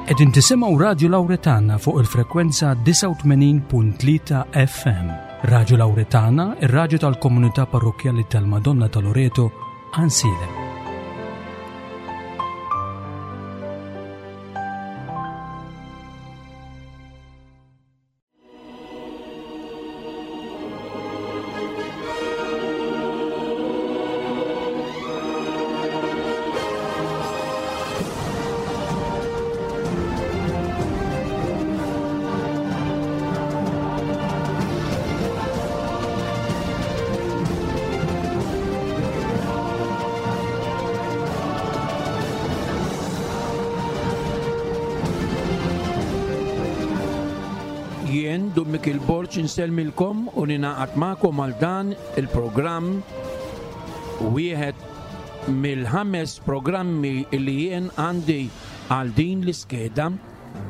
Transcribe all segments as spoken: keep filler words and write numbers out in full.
Qegħdin tisimgħu Radju Lawretana fuq il-frekwenza disgħa u tmenin punt tlieta F M. Radju Lawretana, ir-radju tal-Komunità Parrokkjali tal-Madonna ta' Loreto, Għajnsielem. Jien Dun Mikiel Borg insellmilkom u ninaqat magħkom għal dan il-programm, wieħed mill-ħames programmi li jien għandi għal din l-iskeda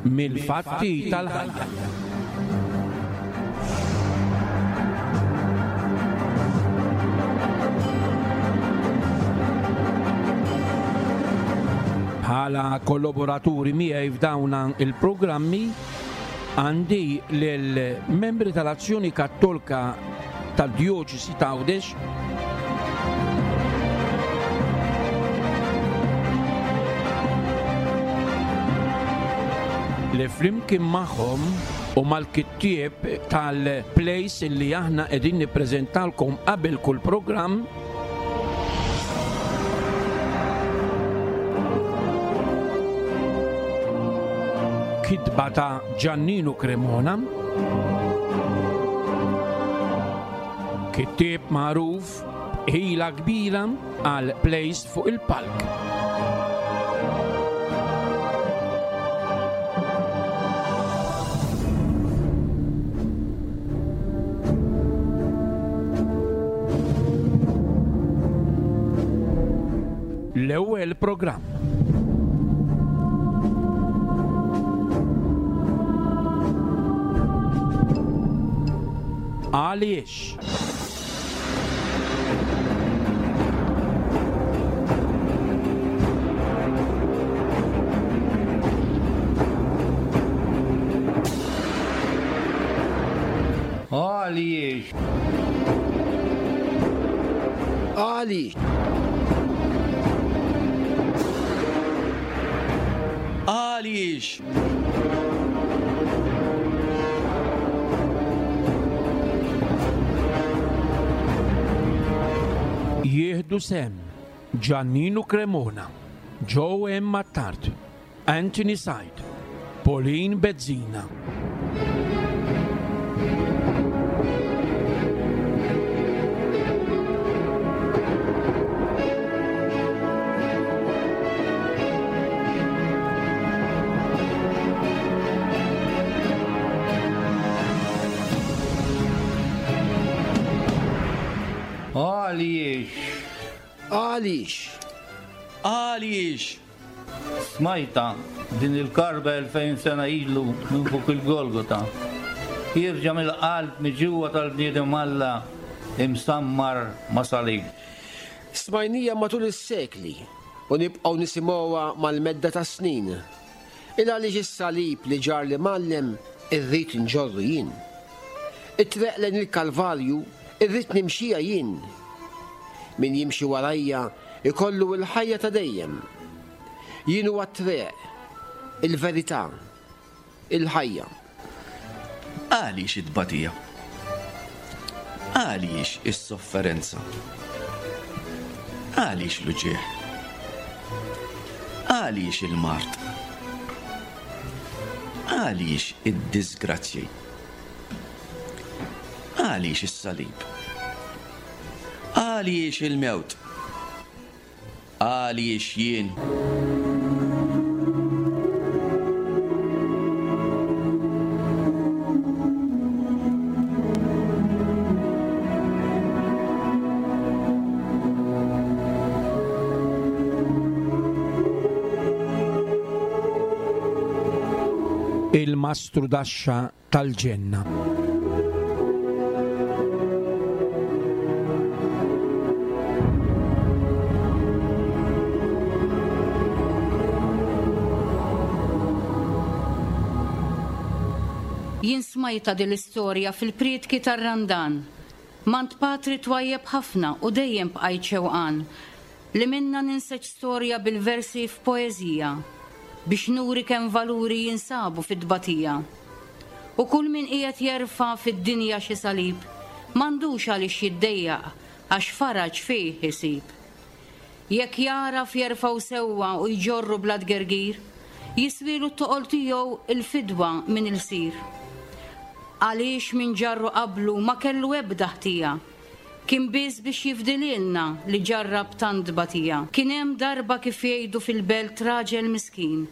mill-fatti tal-ħajja. Bħala kollaboraturi miegħi f'dawn il-programmi għandi lill-membri tal-Azzjoni Kattolika tad-Djoċesi ta' Għawdex, li flimkien magħhom u mal-kittieb tal-place li aħna qegħdin nippreżentalkom qabel kull programm, kitba ta' Giannino Cremona, kittieb magħruf ħila kbira għal plays fuq il-palk. L-ewwel programm. Għaliex? Għaliex? Għaliex? Għaliex? Jieħdu sem Giannino Cremona, Joe M. Attard, Anthony Said, Pauline Bezzina. Għaliex? Għaliex? Għaliex? Smajta din il-karba elfejn sena ilu minn fuq il-Golgota. Jirġa' mill-qalb miġuwa tal-bniedem Alla imsammar ma' salib. Smajnija matul is-sekli u nibqgħu nisimgħuha mal-medda ta' snin. Il għaliex is-salib li ġar li mallem irrid nġorru jien. It-treq lejn il-Kalvarju irrid nimxija jien. Min jimxi warajja ikollu l-ħajja ta' dejjem. Jien huwa t-triq, il-verità, il-ħajja. Għaliex it-tbatija? Għaliex is-sofferenza? Għaliex l-uġigħ? Għaliex il-mard? Għaliex id-disgrazzji? Għaliex is-salib? Għaliex il-mewt? Għaliex jien? Il-mastru daxxa tal-ġenna. Jien smajta din l-istorja fil-prietki tar-Randan. Mant patri twajjeb ħafna u dejjem bqajt xewqan li minna ninseġ storja bil-versi f'poeżija biex nuri kemm valuri jinsabu fid-tbatija. U kull min qiegħed jerfa' fid-dinja xi salib m'għandux għaliex jiddejjaq għax faraġ fih isib. Jekk jaraf jerfgħu sewwa u jġorru bla tgergir, jiswilu t-toqol tiegħu il-fidwa minn ilsir. Għaliex min ġarru qablu ma kellu ebda ħtija, kien biss biex jifdililna li ġarrab tant tbatija. Kien hemm darba kif jgħidu fil-belt raġel miskin,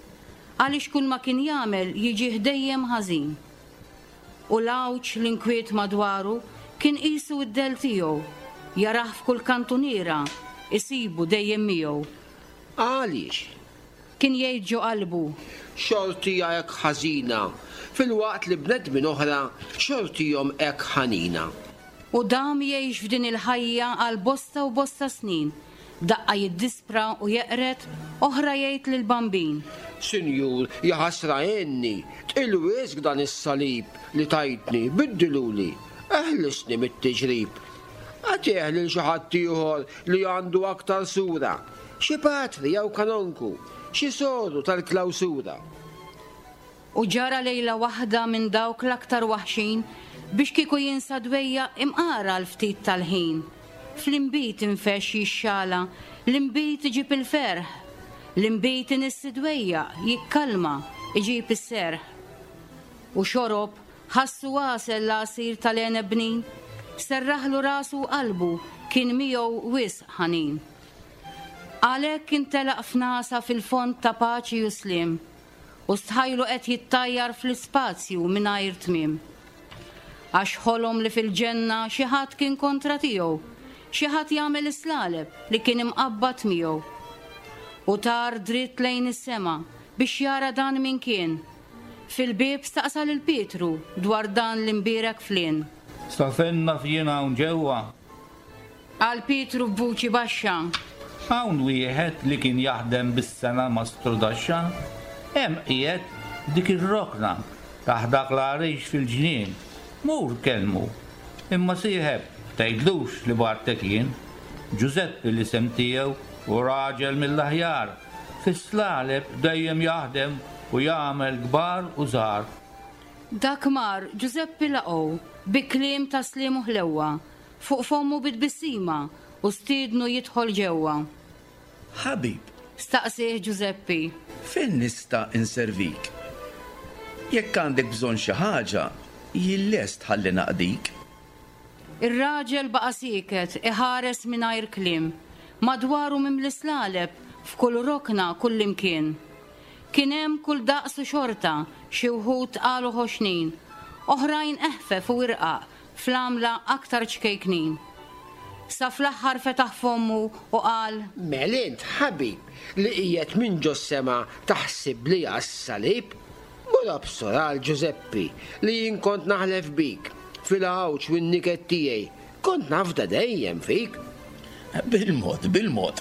għaliex kull ma kien jagħmel jiġih dejjem ħażin. U l-għawġ l-inkwiet madwaru kien qisu d-dell tiegħu, jarah f'kull kantuniera, isibu dejjem miegħu. Għaliex? Kien jgħid ġo qalbu. Xortija hekk ħażina, filwaqt li bnedmin oħra xortihom hekk ħanina. U dam jgħix f'din il-ħajja għal bosta u bosta snin. Daqqa jiddispra u jeqred, oħra jgħid lil bambin. Sinjur, jaħasra għenni, tqil wisq dan is-salib li tajtni, biddiluli, eħlisni mit-tiġrib. Agħtih lil xi ħadd ieħor li għandu aktar sura, xi patri jew kanonku, xi soru tal-klawsura. U ġara lejla waħda minn dawk l-aktar waħxin biex kieku jinsa dwejja imqara l-ftit tal-ħin. Fl-inbid infex jixxala, l-inbid iġib il-ferħ, l-inbid inissi dwejja, jikkalma, iġib is-serħ. U xorob, ħassu għasel l-għasir tal-għeneb bnin, serraħlu rasu u qalbu, kien miegħu wisq ħanin. Għalhekk intelaq f'nasa fil-fond ta' paċi u slim, u stħajlu qed jittajjar fl-ispazju mingħajr tmiem. Għax ħolom li fil-ġenna xi ħadd kien kontra tiegħu, xi ħadd jagħmel islaleb li kien imqabbad miegħu. U tar dritt lejn is-sema biex jara dan min kien. Fil-bieb staqsa lil Pietru dwar dan l-imbierek flien. Stafenna fjien hawn ġewwa. Qal Pietru b'vuċi baxxa. Hawn wieħed li kien jaħdem bis-sena mastru daxxa, hemm qiegħed dik ir-rokna taħt dak l-għarix fil-ġnien. Mur kellmu, imma sieħeb tgħidlux li bartek jien. Ġużeppi l-isem tiegħu u raġel mill-aħjar, fis-slaleb dejjem jaħdem u jagħmel kbar u żgħar. Dak mar Ġużeppi laqgħu bi kliem ta' sliem u ħlewwa, fuq fommu bit-tbissima u stiednu jidħol ġewwa. Ħabib, staqsih Ġużeppi. Fejn nista' inservik? Jekk għandek bżonn xi ħaġa, jien lest ħalli naqdik. Ir-raġel baqa' sieket iħares mingħajr kliem, madwaru mimli slaleb f'kull rokna kullimkien. Kien hemm kull daqs u xorta, xi wħud qalu ħoxnin, oħrajn eħfef u irqaq fl-għamla aktar ċkejknin. Sa fl-aħħar fetaħ fommu u qal: Mel int ħabib li qiegħed minn ġos-sema taħsib li għas-salib? Mur absor għal Ġużeppi li jien kont naħlef bik fil-għawġ u n-niket tiegħi, kont nafda dejjem fik. Bil-mod, bil-mod.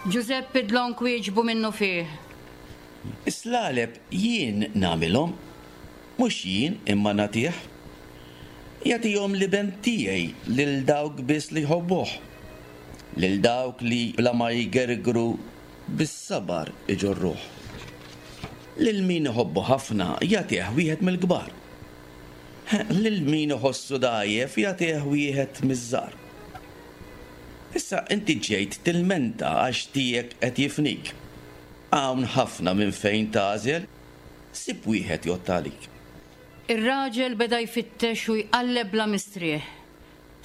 Ġużeppi dlonk wieġbu minnu fih. Is-slaleb jien nagħmilhom, mhux jien imma nagħtih. Jagħtihom l-iben tiegħi lil dawk biss li jħobbuh, lil dawk li bla ma jgergru bis-sabar iġorruh. Lil min iħobbu ħafna jagħtih wieħed mill-kbar. Lil min iħossu dgħajjef jagħtih wieħed miż-żgħar. Issa inti ġejt tilmenta għax tiegħek qed jifnik. Hawn ħafna minn fejn tagħżel, sib wieħed jgħodd għalik. Ir-raġel beda jfittex u jqalleb bla mistrieħ.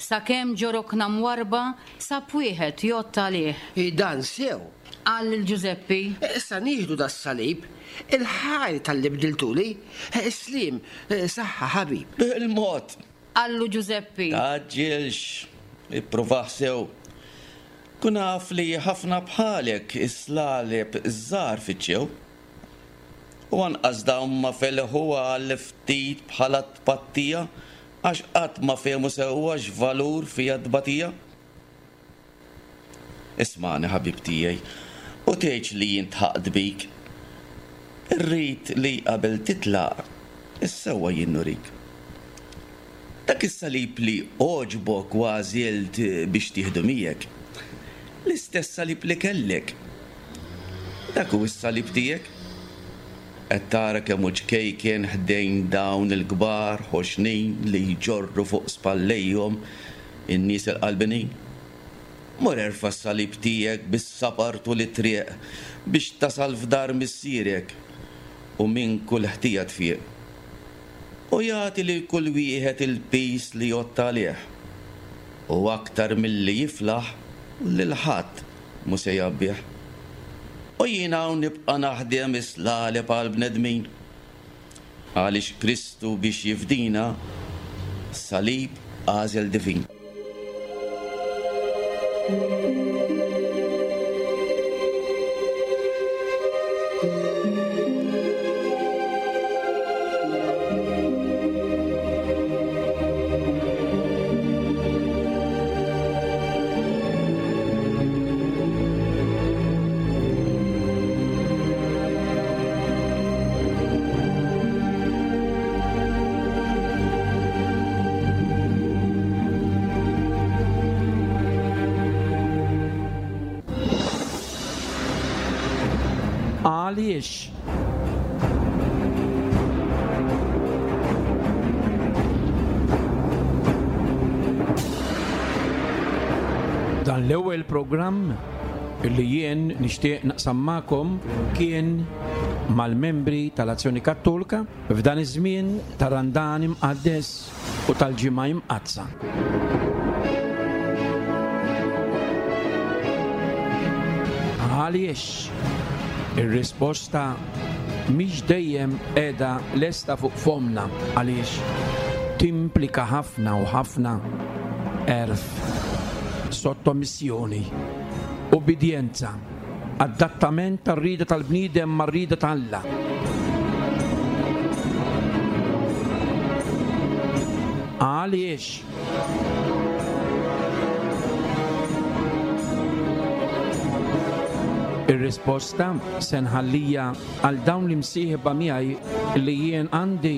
Sakemm ġo rokna mwarba sab wieħed jgħodd għalih. I dan sew, qal lil Ġużeppi. Issa nieħdu das-salib, il-ħajr tal-li bdiltuli, is-slim, saħħa ħabib. Bil-mod, Qallu Ġużeppi. Taġġilx, ipprovah sew. Kun naf li ħafna bħalek is-slaleb żgħar fittxew. U anqas dawn ma felħu għal ftit bħala tpattija għax qatt ma fehmu sewwa x'valur fiha tbatija. Ismagħni ħabib tiegħi u tgħidx li jien tħaqt bik. Irrid li qabel titlaq Is-sewwa jien nurik. Dak is-salib li għoġbok u għażilt biex tieħdu miegħek. L-istess salib li kellek. Dak hu s-salib tiegħek. Qed tara kemm hu ċkejken ħdejn dawn il-kbar ħoxnin li jġorru fuq spallejhom in-nies il-qalbinin. Mur erfa' s-salib tiegħek bis-sabar tul it-triq biex tasal f'dar missierek u minn kull ħtija tfieq. U jagħti lil kull wieħed il-pis li jgħodd għalih. U aktar milli jiflaħ lil ħadd mhu se jgħabbih. U jien hawn nibqa' naħdem is-slaleb għall-bnedmin. Għaliex Kristu biex jifdina salib għażel divin. Għaliex? Dan l-ewwel programm li jien nixtieq naqsam magħkom kien mal-membri tal-Azzjoni Kattolika f'dan iż-żmien ta' Randan imqaddes u tal-Ġimgħa Imqaddsa. Għaliex? Ir-risposta mhix dejjem qiegħda lesta fuq fomna għaliex timplika ħafna u ħafna għerf, sottomissjoni, ubbidjenza, adattament tar-rieda tal-bniedem mar-rieda ta' Alla. Għaliex? Ir-risposta se nħallija għal dawn l-imsieħba miegħi li jien għandi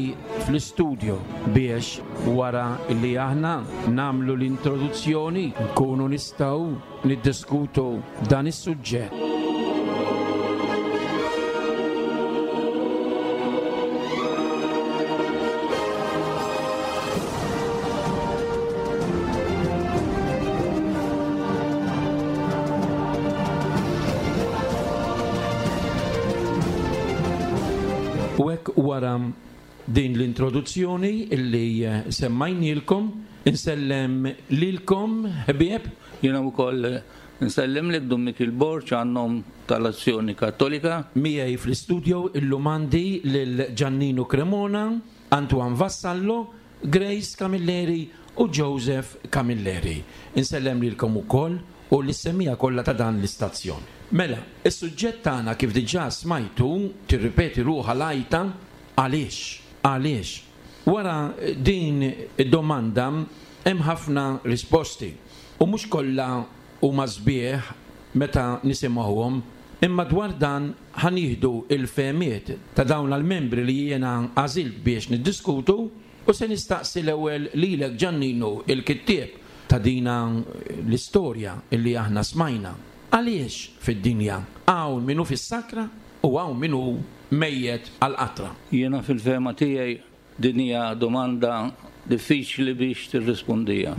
fl-istudio biex wara li aħna nagħmlu l-introduzzjoni nkunu nistgħu niddiskutu dan is-suġġett. U hekk wara din l-introduzzjoni illi semmajnielkom, insellem lilkom ħbieb. Jiena wkoll insellem lil Dun Mikiel Borg għan-nom tal-Azzjoni Kattolika. Miegħi fl-istudio illum għandi lil Giannino Cremona, Antoine Vassallo, Grace Camilleri u Joseph Camilleri. Insellem lilkom ukoll u l-semmija kollha ta' dan l-istazzjon. Mela, is-suġġett tagħna kif diġà smajtu tirripeti ruħha l-għajta għaliex, għaliex. Wara din id-domanda hemm ħafna risposti u mhux kollha huma sbieħ meta nisimgħuhom, imma dwar dan ħanieħdu il-fehmiet ta' dawn l-membri li jiena għażilt biex niddiskutu u se nistaqsi l-ewwel lilek Giannino il-kittieb ta' dina l-istorja illi aħna smajna. Għaliex fid-dinja hawn min hu fis-sakra u hawn min hu mejjet għall-qatra? Jiena fil-fehma tiegħi din hija domanda diffiċli biex tirrispondija.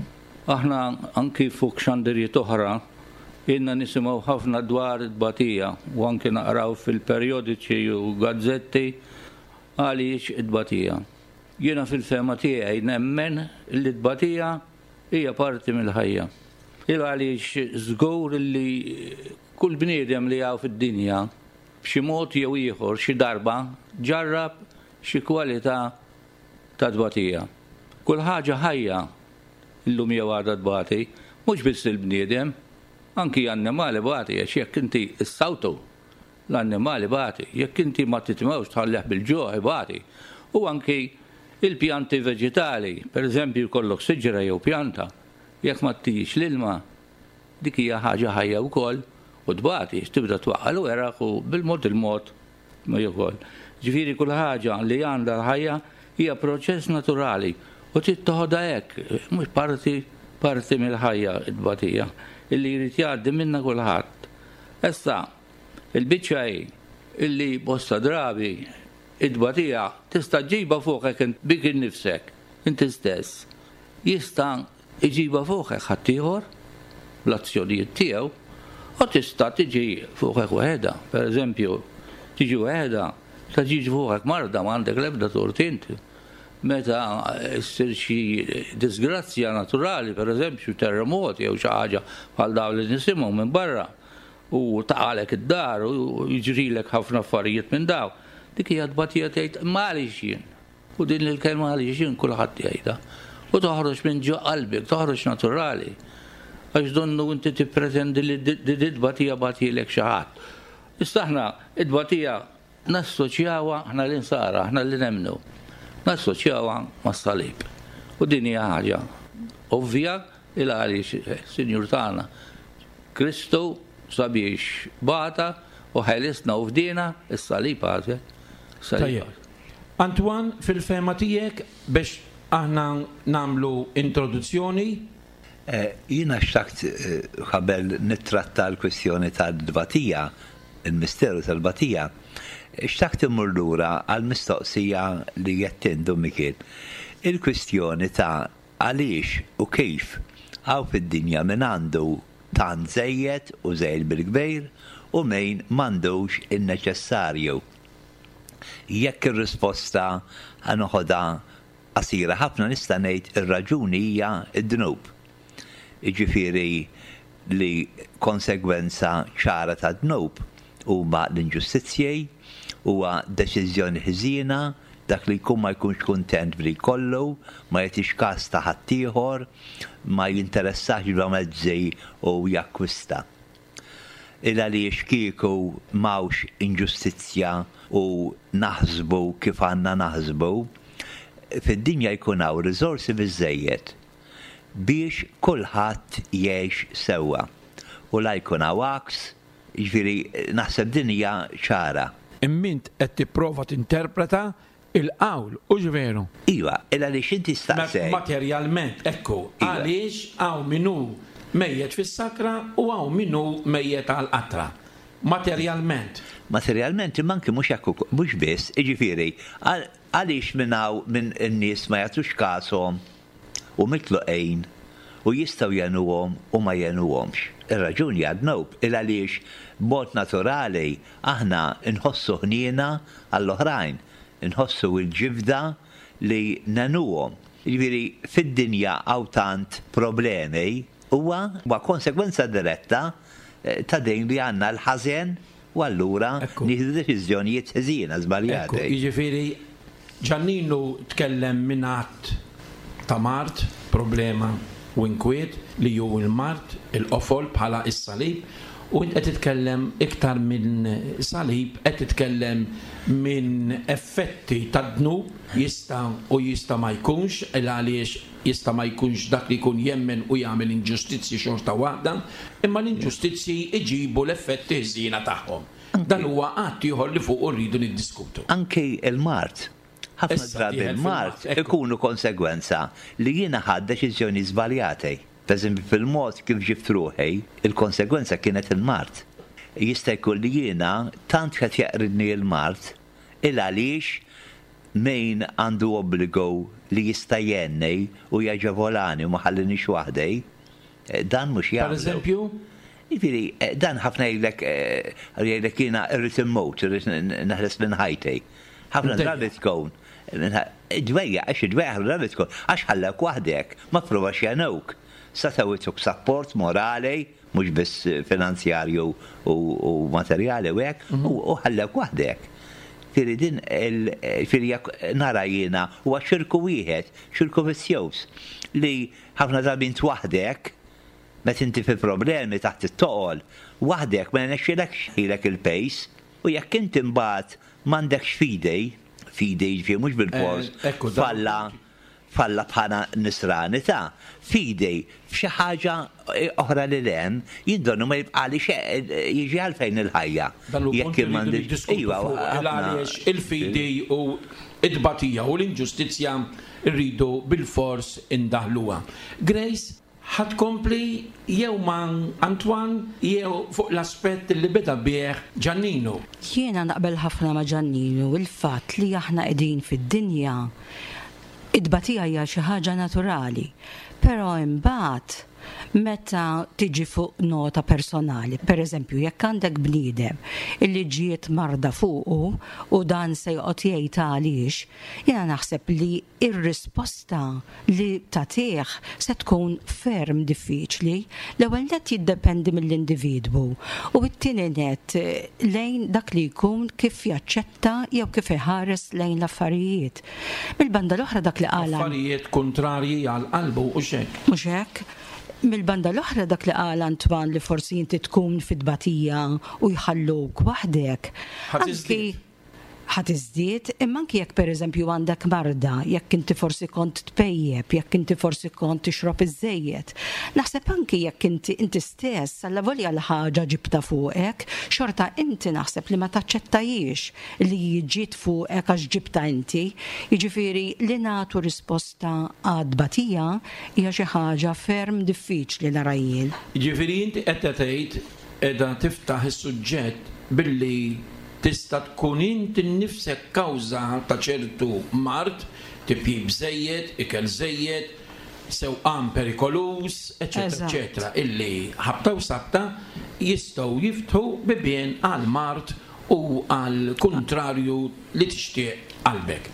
Aħna anki fuq xandirijiet oħra ilna nisimgħu ħafna dwar it-tbatija u anki naqraw fil-perjodiċi u gazzetti għaliex it-tbatija. Jiena fil-fehma tiegħi nemmen li t-tbatija hija parti mill-ħajja. Il għaliex żgur li kull bniedem li hawn fid-dinja b'xi mod jew ieħor xi darba ġarrab xi kwalità ta' tbatija. Kull ħaġa ħajja illum jew għadha tbati, mhux biss il-bniedem, anki annimali bati, għax jekk inti issawtu l-annimali bati, jekk inti ma titmewx tħalleh bil-ġuħ ibati, u anki il-pjanti veġitali, per eżempju jkollok siġra jew pjanta, jekk ma tijiex l-ilma, dik hija ħaġa ħajja wkoll u tbati, tibda twaqqa' l-weraq u bil-mod il-mod ma jkoll. Ġifieri kull ħaġa li għandha l-ħajja Hija proċess naturali u trid toħodha hekk, mhux parti parti mill-ħajja it-tbatija illi jrid jgħaddi minna kulħadd. Issa, il-biċċa hi illi bosta drabi it-tbatija tista' ġġibha fuqek bik innifsek, inti stess. Jista' iġibha fuqek ħaddieħor bl-azzjonijiet tiegħu u tista' tiġi fuqek waħedha. Per eżempju, tiġi waħedha, ta' tiġi fuqek marda, ma għandek l-ebda tort inti. Meta ssir xi disgrazzja naturali, per eżempju, terremoti jew xi ħaġa bħal dawn li nisimgħu minn barra, u taqalek id-dar u jiġrilek ħafna affarijiet minn daw. Dik hija tbatija, tgħid ma għaliex jien. U din il-kelma għaliex jien kulħadd jgħidha. U toħroġ minn ġo qalbek, toħroġ naturali. Għax donnu inti tippretendi li d-tbatija bagħathielek xi ħadd. Issa aħna id-tbatija nassoċjawha, aħna l-insara, aħna li nemmnu, nassoċjawha mas-salib. U din hija ħaġa ovvja, il għaliex Sinjur tagħna Kristu sabiex bata u ħelisna u fdina is-salib għażel. Tajjeb. Antoine, fil-fehma tiegħek, biex aħna nagħmlu introduzzjoni. Jiena xtaqt, qabel nittratta l-kwestjoni tal-tbatija, il-misteru tal-tbatija, xtaqt immur lura għal-mistoqsija li jettindu Mikiel. Il-kwestjoni ta' għaliex u kif hawn fid-dinja min għandu tant żejjed u żejjed bil-kbir u min m'għandux in-neċessarju. Jekk ir-risposta ħa noħodha qasira ħafna, nista' ngħid ir-raġuni hija d-dnub. Jiġifieri li konsegwenza ċara ta' dnub huma l-inġustizzji, huwa deċiżjoni ħżiena, dak li jkun ma jkunx kuntent bli kollu, ma jagħtix każ ta' ħaddieħor, ma jinteressax bla mezzi u jakkwista. Il għaliex kieku m'hawnx inġustizzja u naħsbu kif għandna naħsbu, fid-dinja jkun hawn riżorsi biżejjed biex kulħadd jgħix sewwa. U la jkun hawn għaks, jiġifieri naħseb din hija ċara. Immint qed tipprova tinterpreta il-qawl, u veru? Iva, il għaliex inti staqsej. Materjalment, ekku, għaliex hawn min hu mejjet fis-sakra u hawn min hu mejjet għal-qatra. Materjalment. Materjalment, imma anki mhux hekk, mhux biss, jiġifieri, għaliex minn hawn minn in-nies ma jagħtux kashom u mitluqejn u jistgħu jgħinuhom u ma jgħinuhomx. Ir-raġuni għad-dnub, il għaliex b'mod naturali aħna nħossu ħniena għall-oħrajn, nħossu l-ġibda li ngħinuhom. Jiġifieri fid-dinja hawn tant problemi huwa huwa konsegwenza diretta ta' din li għandna l-ħażen u allura nieħdu deċiżjonijiet ħżiena żbaljati. Jiġifieri Ġanninu tkellem minn att ta' mard, problema u inkwiet li ju il-mard, il-qofol bħala is-salib, u int qed titkellem iktar minn salib, qed titkellem minn effetti tad-dnub, jista' u jista' ma jkunx, il għaliex jista' ma jkunx dak li jkun jemmen u jagħmel inġustizzji xorta waħda, imma l-inġustizzji iġibu l-effetti ħżiena tagħhom. Dan huwa att ieħor li fuq rridu niddiskutu. Anki il-mard. Ħafna drabi il-mard ikunu konsegwenza li jiena ħadt deċiżjoni żbaljati. Per eżempju, fil-mod kif ġibt ruħi, il-konsegwenza kienet il-mard. Jista' jkun li jiena tant qed jaqridni l-mard il għaliex min għandu obbligu li jista' jgħinni u jaġevolani u ma ħallinix waħdi, dan mhux jagħmlu. Per eżempju? Jiġifieri, dan ħafna jgħidlek, jgħidlek jiena rrid immut, irrid neħles minn ħajti. Ħafna drabi tkun dwejja, għax dwejja ħafna drabi tkun, għax ħallek waħdek, ma provax jgħinuk. Setgħu jtuk sapport morali, mhux biss finanzjarju u materjali u hekk, u ħallek waħdek. Firri din il-firri nara jiena huwa ċirku wieħed, ċirku vizzjuż, li ħafna drabi int waħdek, meta inti fi problemi taħt it-toqol, waħdek ma jnexxilekx ħilek il-pejs, u jekk inti mbagħad m'għandekx fidi, fidi jiġifieri mhux bil-fors, falla, f'Alla bħala nisrani ta' fidi f'xi ħaġa oħra li lem, jien donnu ma jibqali xejn, jiġi għalfejn il-ħajja. Dan hu Jekk punt li rridu m'għandix- niddiskutu Iva, fuq ħafna- għaliex il-fidi u id-batija u l-inġustizzja rridu bil-fors indaħluha. Grace, ħa tkompli jew ma' Antoine jew fuq l-aspett li beda bih Giannino. Jiena naqbel ħafna ma' Giannino il-fatt li aħna qegħdin fid-dinja id-batija hija xi ħaġa naturali, però imbagħad meta tiġi fuq nota personali, per eżempju, jekk għandek bniedem illi ġiet marda fuqu u dan se joqgħod jgħid għaliex, jiena naħseb li ir-risposta li tagħtih se tkun ferm diffiċli. L-ewwel nett jiddependi mill-individwu u t-tieni nett lejn dak li jkun kif jaċċetta jew kif iħares lejn l-affarijiet. Mill-banda l-oħra dak li qal Affarijiet kontrarji għal qalbu u xek. Mhux hekk? Mill-banda l-oħra dak li qal Antoine li forsi inti tkun fit-tbatija u jħalluk waħdek. Ħa Anki tiżdied. ħa tiżdied, imma anki jekk pereżempju għandek marda, jekk inti forsi kont tpejjep, jekk inti forsi kont tixrob iżżejjed. Naħseb anki jekk inti inti stess allavolja l-ħaġa ġibta fuqek, xorta inti naħseb li ma taċċettajiex li ġiet fuqek għax ġibta inti. Jiġifieri li nagħtu risposta għad-batija hija xi ħaġa ferm diffiċli nara jien. Ġifieri inti qed tgħid qiegħda tiftaħ is-suġġett billi tista' tkun inti nnifsek kawża ta' ċertu mard, tipjip żejjed, ikel żejjed, sewqan perikoluż, eċetera, Eżatt. eċetera, illi ħabta u sabta jistgħu jiftħu bibien għal mard u għal kontrarju li tixtieq qalbek.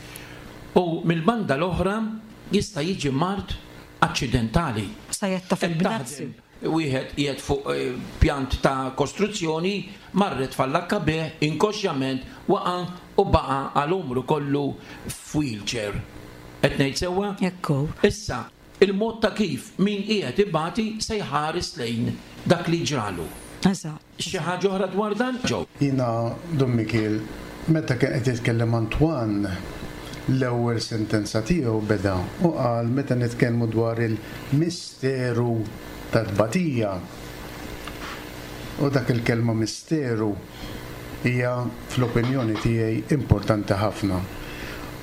U mill-banda l-oħra jista' jiġi mard aċċidentali. Sajetta fil-bnazzi. Taħdem wieħed qiegħed fuq eh, pjant ta' kostruzzjoni, marret fallakka bih, inkoxjament, waqa' u baqa' għal umru kollu f'wheelchair. Qed ngħid sewwa? Ekku. Issa, il-mod ta' kif min qiegħed ibati se jħares lejn dak li ġralu. Eżatt. Xi ħaġa oħra dwar dan? Ġew. Jiena, Dun Mikiel, meta kien qed jitkellem Antoine, l-ewwel sentenza tiegħu beda u qal meta nitkellmu dwar il-misteru tat-tbatija. U dak il-kelma misteru hija fl-opinjoni tiegħi importanti ħafna.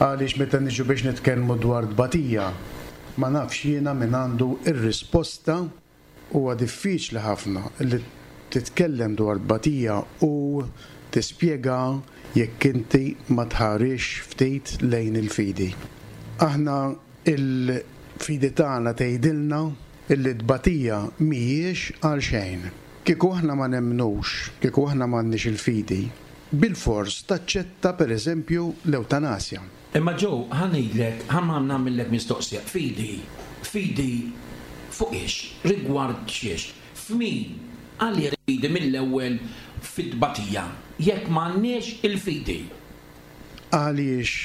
Għaliex meta niġu biex nitkellmu dwar tbatija, ma nafx jiena min għandu ir-risposta. Huwa diffiċli ħafna li titkellem dwar tbatija u tispjega jekk inti ma tħarisx ftit lejn il-fidi. Aħna il-fidi tagħna tgħidilna illi tbatija mhijiex għal xejn. Kieku aħna ma nemmnux, kieku aħna m'għandniex il-fidi, bil-fors taċċetta pereżempju l-ewtanasja. Imma ġew, ħa ngħidlek, ħa nagħmillek mistoqsija. Fidi, fidi fuq ix, rigward xiex, f'min għalli fidi mill-ewwel fit-tbatija, jekk m'għandniex il-fidi. Għaliex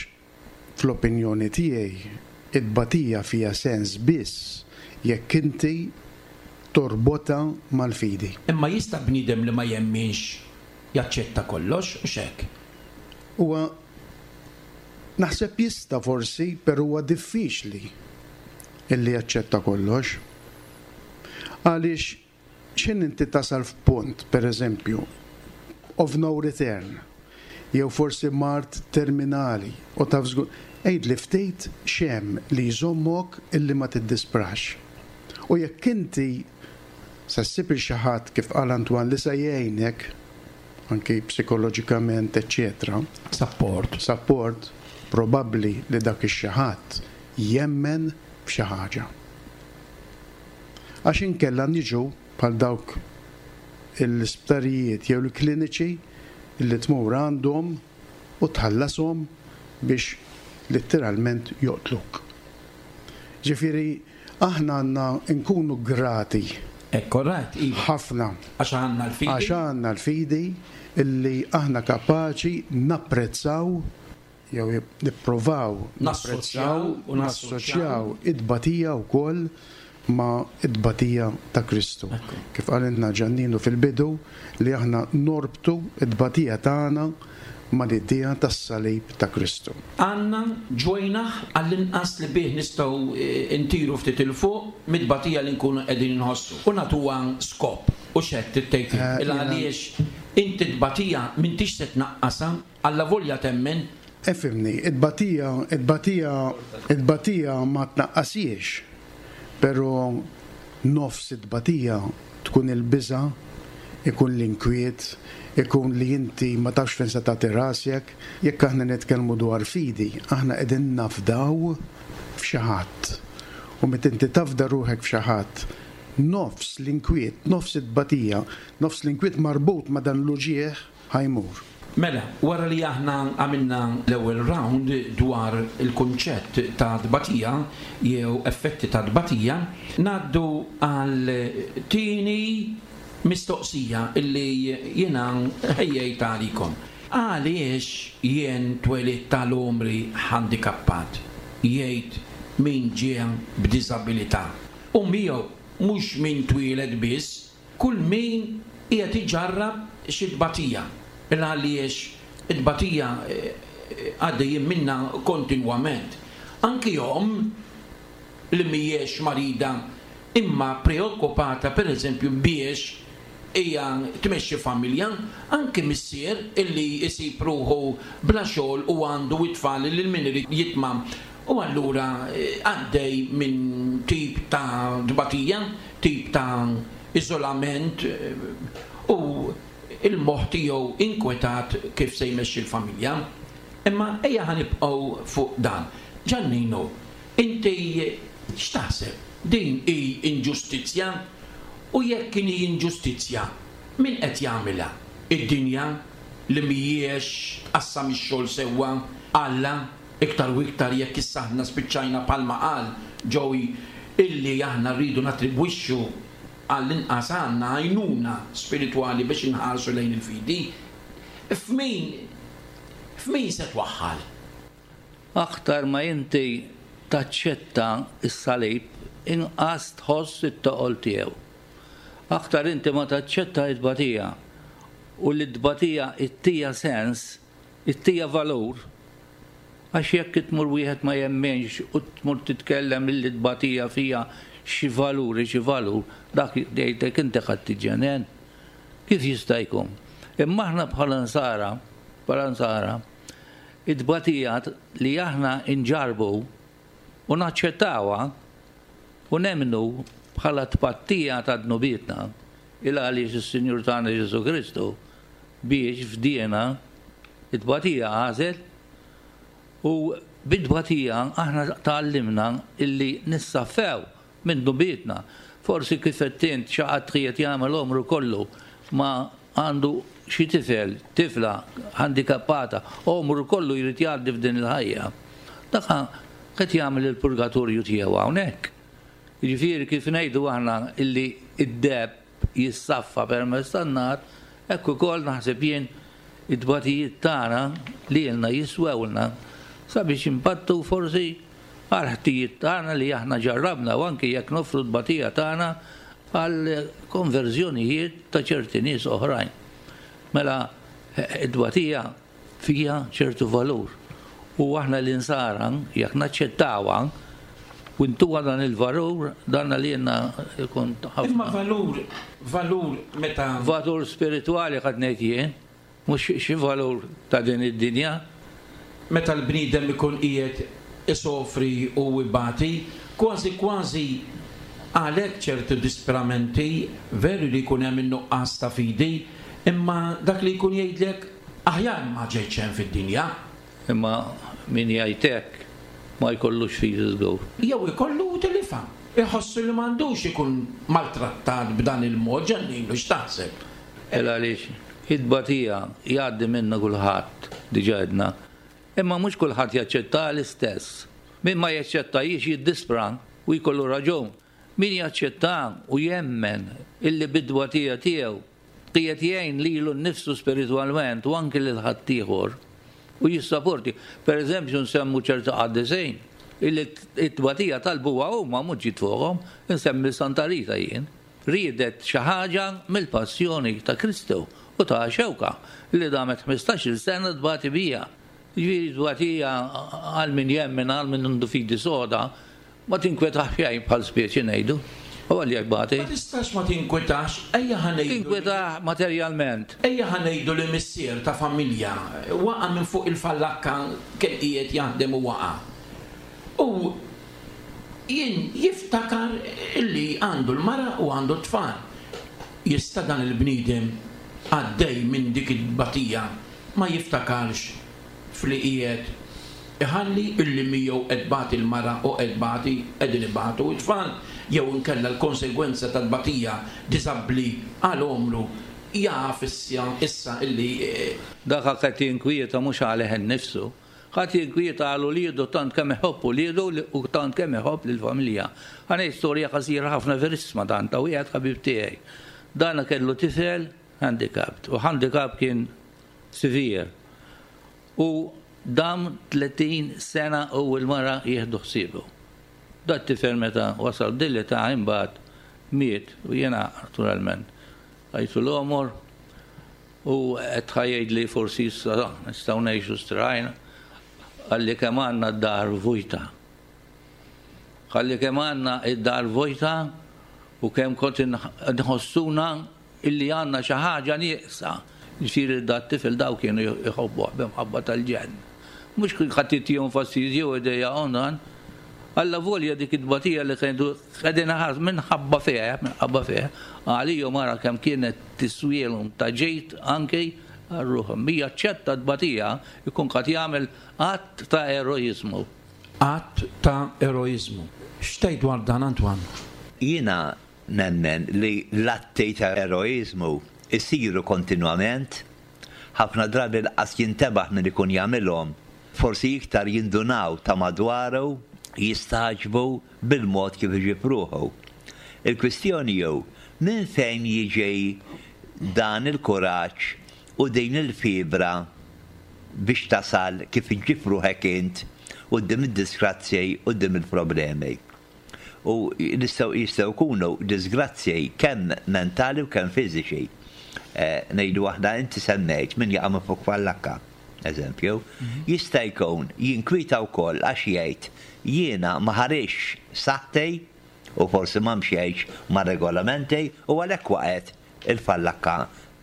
fl-opinjoni tiegħi it-tbatija fiha sens biss jekk inti torbota mal-fidi. Imma jista' bniedem li ma jemminx jaċċetta kollox u xek. Huwa naħseb jista' forsi, però huwa diffiċli illi jaċċetta kollox. Għaliex x'in inti tasal f'punt, per eżempju, of no return, jew forsi mard terminali, u taf żgur, għidli ftit x'hemm li jżommok illi ma tiddisprax. U jekk inti sa ssib il xi ħadd kif qal Antoine li sa jgħinek, anki psikoloġikament, eċċetera. Support. Support, probabbli li dak ix-xi ħadd jemmen f'xi ħaġa. Għax inkella niġu bħal dawk l-isptarijiet jew l-kliniċi li tmur għandhom u tħallashom biex letteralment joqtluk. Ġifieri, aħna għandna nkunu grati. Ekku, right, iva. Ħafna. Għax għandna l-fidi. Għax għandna l-fidi illi aħna kapaċi napprezzaw jew nipprovaw Nassoċjaw napprezzaw u nassoċjaw id-batija wkoll ma' id-batija ta' Kristu. Kif qalilna Ġanninu fil-bidu li aħna norbtu id-batija tagħna mal-idea tas-salib ta' Kristu. Għandna ġwejnaħ għall-inqas li bih nistgħu ntiru ftit 'il fuq mit-tbatija li nkunu qegħdin inħossu u nagħtuha skop u x'qed tgħid il għaliex inti tbatija m'intix se tnaqqasha allavolja temmen. Efimni, it-tbatija, it-tbatija, it-tbatija ma tnaqqasiex, però nofs it-tbatija tkun il-biża', ikun l-inkwiet, ikun li inti ma tafx fejn se tagħti rasek. Jekk aħna nitkellmu dwar fidi, aħna qegħdin nafdaw f'xi ħadd. U meta inti tafda ruħek f'xi ħadd, nofs l-inkwiet, nofs it-tbatija, nofs l-inkwiet marbut ma' dan l-uġieħ ħajmur. Mela, wara li aħna għamilna l-ewwel round dwar il-kunċett ta' tbatija jew effetti ta' tbatija, ngħaddu għal tieni mistoqsija illi jiena ħejjejt għalikom. Għaliex jien twelidt tal-għomri handikappat? Jgħid min ġie b'diżabilità. U miegħu mhux min twieled biss, kull min qiegħed iġarrab xi tbatija. Għaliex it-tbatija għaddejjin minna kontinwament. Anki jom li mhijiex marida imma preokkupata per eżempju biex hija tmexxi familja, anki missier illi jsib ruħu bla xogħol u għandu it-tfal li min irid jitma'. U allura għaddej minn tip ta' tbatija, tip ta' iżolament u il-moħħ tiegħu inkwetat kif se jmexxi l-familja. Imma ejja ħanibqgħu fuq dan. Giannino, inti x'taħseb? Din hi inġustizzja? U jekk hi inġustizzja, min qed jagħmilha? Id-dinja li mhijiex tqassam ix-xogħol sewwa, Alla, iktar u iktar jekk issa aħna spiċċajna palma qal Joey illi aħna rridu nattribwixxu għall-inqas għandna għajnuna spiritwali biex inħarsu lejn il-fidi. F'min, f'min se twaħħal? Aktar ma inti taċċetta s-salib, inqas tħoss it-toqol tiegħu. Aktar inti ma taċċetta it-tbatija u li t-tbatija ittija sens, ittija valur, għax jekk tmur wieħed ma jemmenx u tmur titkellem li t-tbatija fija xi valuri, xi valur, dak jgħidlek inti ħadd tiġġenen. Kif jista' jkun? Imma aħna bħala nsara, bħala nsara, it-tbatija li aħna nġarbu u naċċettawha u nemmnu bħala tpattija ta' dnubietna, il għaliex is-Sinjur tagħna Ġesu Kristu biex fdiena it-tbatija għażel u bit-tbatija aħna tgħallimna illi nissaffew minn dnubietna. Forsi kif qed int xi ħadd qiegħed jagħmel għomru kollu ma għandu xi tifel, tifla handikappata, għomru kollu jrid jgħaddi f'din il-ħajja. Dak qed jagħmel il-purgatorju tiegħu hawnhekk. Jiġifieri kif ngħidu aħna illi id-deb jissaffa permezz tan-nar, hekk ukoll naħseb jien it-tbatijiet tagħna li ilna jiswewlna sabiex impattu forsi għal ħtijiet tagħna li aħna ġarrabna u anki jekk nofru t-tbatija tagħna għal konverżjonijiet ta' ċerti nies oħrajn. Mela it-tbatija fiha ċertu valur u aħna l-insara jekk naċċettawha u ntuha dan il-valur, dan li jenna jkun ħafna. Imma valur, valur meta Valur spiritwali qed ngħid jien, mhux xi valur ta' din id-dinja. Meta l-bniedem ikun qiegħed isofri u ibati, kważi kważi għalhekk ċertu disperamenti veru li jkun hemm in-nuqqas ta' fidi, imma dak li jkun jgħidlek aħjar ma ġejtx hemm fid-dinja. Imma min jgħid hekk ma jkollux fidi żgur. Jew ikollu tilifa. Iħossu li m'għandux ikun maltrattat b'dan il-mod, Giannino, x'taħseb? Ela għaliex it-tbatija jgħaddi minna kulħadd, diġà għedna. Imma mhux kulħadd jaċċetta l-istess. Min ma jaċċettajiex jiddispra u jkollu raġun. Min jaċċetta u jemmen illi bid-tbatija tiegħu qiegħed jgħin lilu nnifsu spiritwalment u anki lil ħaddieħor u jissaporti. Per eżempju nsemmu ċerta qaddisin illi t-tbatija talbuha huma mhux ġiet fuqhom, nsemmi Santa Rita jien. Riedet xi ħaġa mill-passjoni ta' Kristu U ta' xewka li damet ħmistax-il sena tbati bija. Ġifieri tbatija għal min jemmen, għal min għandu fidi soda, ma tinkwetax xejn bħal speċi ngħidu. U għal jgħibati. Ma tistax ma tinkwetax, ejja ħa ngħidu. Tinkwetax materjalment. Ejja ħa ngħidu li missier ta' familja waqa' minn fuq il-fallakka kien qiegħed jaħdem u waqa'. U jien jiftakar illi għandu l-mara u għandu t-tfal. Jista' dan il-bniedem għaddej minn dik it-tbatija ma jiftakarx fli qiegħed iħalli illi miegħu qed tbati l-mara u qed tbati qegħdin ibatu t-tfal, jew inkella l-konsegwenza tat-tbatija diżabbli għal għomru jaf issa, issa illi, eh, Dak qed jinkwieta mhux għalih innifsu. Ħadd jinkwieta għal uliedu tant kemm iħobb uliedu u tant kemm iħobb lill-familja. Ħa ngħid storja qasira ħafna verissima dan ta' wieħed ħabib tiegħi. Dan kellu tifel handicapped u handicap kien severe. U dam tletin sena u l-mara jieħdu ħsiebu. Dat tifel meta wasal dilli ta' imbagħad miet u jiena naturalment għajtu l-omor u qed ħajd li forsi issa nistgħu ngħixu strajna għalli kemm għandna d-dar vojta. Għalli kemm għandna d-dar vojta u kemm kont nħossuna illi għandna xi ħaġa nieqsa. Ġifieri dat tifel daw kienu jħobbuh b'imħabba tal-ġenn. Mhux kien ħadd jtihom fastidju u idejjaqhom dan. Alla volja dik it-tbatija li kienu qegħdin ħas minħabba fih, minħabba fih, għalihom ara kemm kienet tiswielhom ta' ġejt anke għal-ruħhom. Hija ċetta tbatija jkun qed jagħmel att ta' eroiżmu. Att ta' eroiżmu. X'tgħid dwar dan, Antoine? Jiena nemmen li l-atti ta' eroiżmu isiru kontinwament, ħafna drabi l-qas jintebaħ min ikun jagħmilhom, forsi iktar jindunaw ta' madwaru, jistaġbu bil-mod kif iġib ruħu. Il-kwistjoni jew minn fejn jiġi dan il-kuraġġ u din il-fibra biex tasal kif iġib ruħek int quddiem id-disgrazzji, quddiem il-problemi. U nistgħu, jistgħu jkunu disgrazzji kemm mentali u kemm fiżiċi. Eh, ngħidu waħda inti semmejt min jaqa' minn fuq fallakka, eżempju, Mhm. jista' jkun jinkwieta wkoll għax jgħid jiena ma ħarix saħħti u forsi ma mxejx ma' regolamenti u għalhekk waqgħet il-fallakka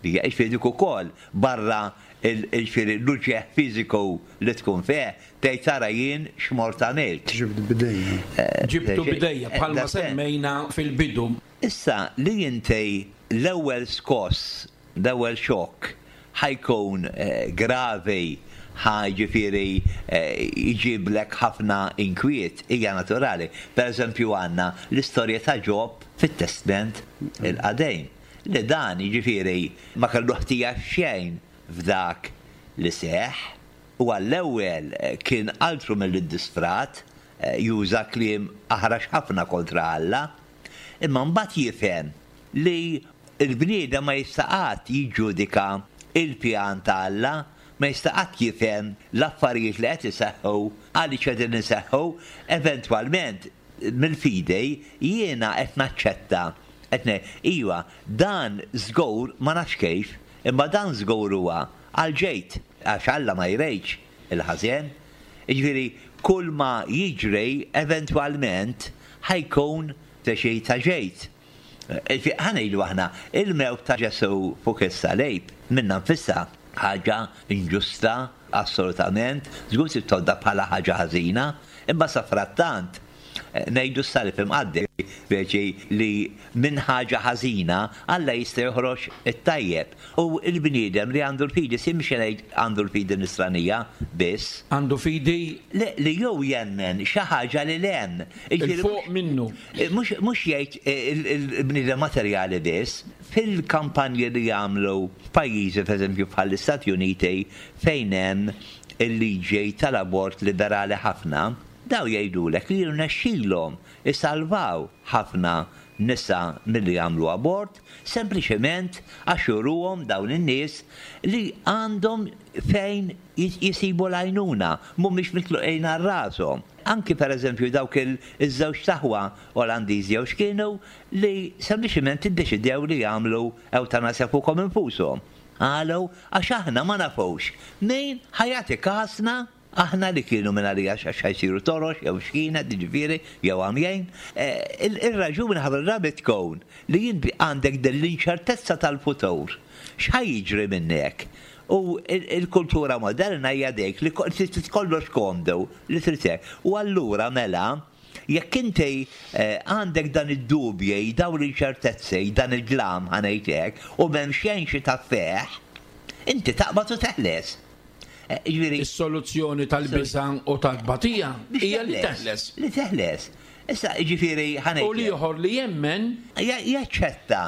bija. Jiġifieri dik ukoll barra il-, jiġifieri l-uġigħ fiżiku li tkun fih, tgħid tara jien x'mort għamilt. Ġibtu bidejja. Eh, Ġibtu eh, bidejja, eh, bħalma that's it. semmejna fil-bidu. Issa li inti l-ewwel skoss, l-ewwel xokk ħajkun, eh, gravi, ħa ġifieri, eh, jġiblek ħafna inkwiet, hija naturali. Per eżempju għandna l-istorja ta' Ġob fit-Testament il-Qadim, li dan jiġifieri ma kellu ħtija xejn f'dak li seħ, u għall-ewwel, eh, kien altru mill-disfrat, eh, juża kliem aħrax ħafna kontra Alla, imma mbagħad jifhem li il-bniedem ma jista' qatt jiġġudika il-pjan ta' Alla, ma jista' qatt jifhem l-affarijiet li qed iseħħu għaliex qegħdin iseħħu, eventwalment mill-fidej jiena qed naċċetta. Qed ngħid, iva, dan żgur ma nafx kif, imma dan żgur huwa għal ġejt, għax Alla ma jrejx il-ħażen. Jiġifieri kull ma jiġri eventwalment ħajkun ta' xi ta' ġejt. Ħa ngħidu aħna, il-mewt ta' Ġesu fuq is-salib minna nfisha ħaġa inġusta assolutament, żgur se tgħodda bħala ħaġa ħażina, imma sa frattant ngħidu s-salib imqaddi, speċi li minn ħaġa ħażina Alla jista' joħroġ it-tajjeb. U l-bniedem li għandu l-fidi, si mhux ngħid għandu l-fidi nisranija biss. Għandu fidi Le, li jew jemmen xi ħaġa li lem. Jiġifieri Il-fuq minnu. Mhux, mhux jgħid il-, il-, il-bniedem materjali biss, fil-kampanji li jagħmlu f'pajjiżi pereżempju bħall-Istati Uniti fejn hemm il-liġi tal-abort liberali ħafna, daw jgħidulek li jirnexxilhom isalvaw ħafna nisa milli jagħmlu abort, sempliċement għax juruhom dawn in-nies li għandhom fejn jis-, jisibu l-għajnuna, mhumiex mitluqin għal rashom. Anki pereżempju dawk il-, iż-żewġ taħwa Olandiżi jew x'kienu li sempliċement iddeċidew li jagħmlu ewtanasja fuqhom infushom. Għalu, għax aħna ma nafux min ħa jagħti kasna aħna li kienu minn għalija għax ħa jsiru torox, jew xkina, ġifieri, jew għamjajn. Il-raġuni ħafna drabi tkun li inti għandek dell-inċertezza tal-futur. X'ħa jiġri minnek? U il-kultura moderna hija dik li trid kollox komdu li trid hekk. U allura mela, jekk inti għandek dan id-dubji, dawn l-inċertezzi, dan il-glam ħa ngħid hekk, u m'hemm xejn xi taffeħ, inti taqbad u teħles. Ġifieri Is-soluzzjoni tal-biża' u tal-batija hija li teħles. Li teħles. Issa, ġifieri ħa ngħid. U l-ieħor li jemmen jaċċetta,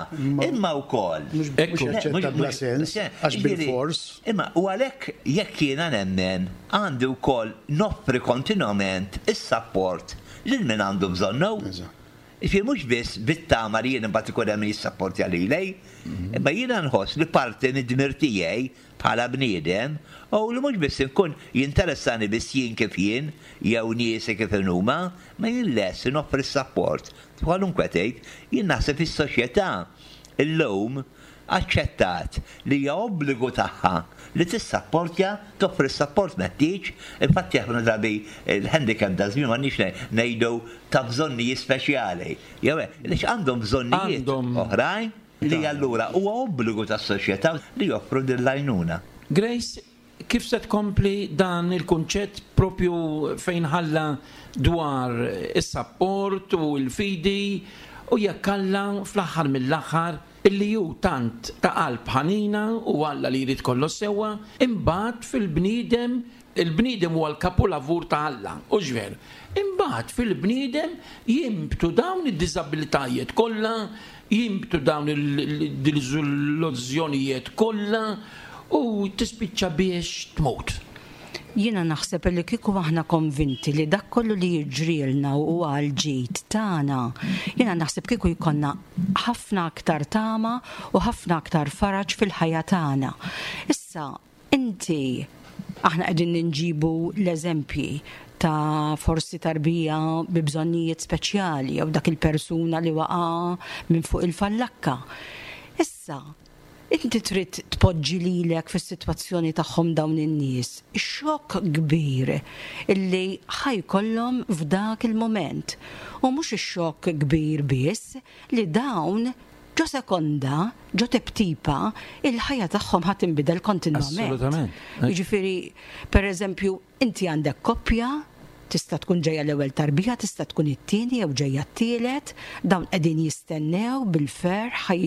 imma wkoll. Mhux jaċċetta bla sens, għax bil-fors. Imma u għalhekk jekk jiena nemmen għandi wkoll noffri kontinwament is-sapport lil min għandu bżonnu. Ġifieri mhux biss bit-tama li jien imbagħad ikun hemm jissapportja lili, imma jiena nħoss li parti mid-dmir tiegħi bħala bniedem u li mhux biss inkun jinteressani biss jien kif jien jew niesi kif huma, ma jien lest noffri s-sapport. Kwalunkwe tgħid, jien naħseb is-soċjetà illum aċċettat li hija obbligu tagħha li tissapportja, toffri s-sapport meħtieġ. Infatti ħafna drabi il-handicap da żmien m'għandniex ngħidu ta' bżonnijiet speċjali. Jew għaliex għandhom bżonnijiet oħrajn li allura huwa obbligu tas-soċjetà li joffru din l-għajnuna. Grace, kif se tkompli dan il-kunċett propju fejn ħalla dwar is-sapport u l-fidi u jekk Alla fl-aħħar mill-aħħar illi ju tant ta' qalb ħanina u Alla li jrid kollox sewwa, imbagħad fil-bniedem, il-bniedem huwa l-kapulavur ta' Alla, u ġver. Imbagħad fil-bniedem jimbtu dawn id-diżabilitajiet kollha, jimbtu dawn il-diżillużjonijiet kollha u tispiċċa biex tmut. Jiena naħseb li kieku aħna konvinti li dak kollu li jiġrilna u għal ġid tagħna, jiena naħseb kieku jkollna ħafna aktar tama u ħafna aktar faraġ fil-ħajja tagħna. Issa, inti, aħna qegħdin ninġibu l-eżempji ta' forsi tarbija bi bżonnijiet speċjali jew dak il-persuna li waqa' minn fuq il-fallakka. Issa, inti trid tpoġġi lilek fis-sitwazzjoni tagħhom dawn in-nies. Ix-xokk kbir illi ħa jkollhom f'dak il-moment. U mhux ix-xokk kbir biss li dawn ġo sekonda, ġo teptipa, il-ħajja tagħhom ħa tinbidel kontinwament. Assolutament. Jiġifieri, per eżempju, inti għandek koppja, tista' tkun ġejja l-ewwel tarbija, tista' tkun it-tieni jew ġejja t-tielet, dawn qegħdin jistennew bil-ferħ ħaj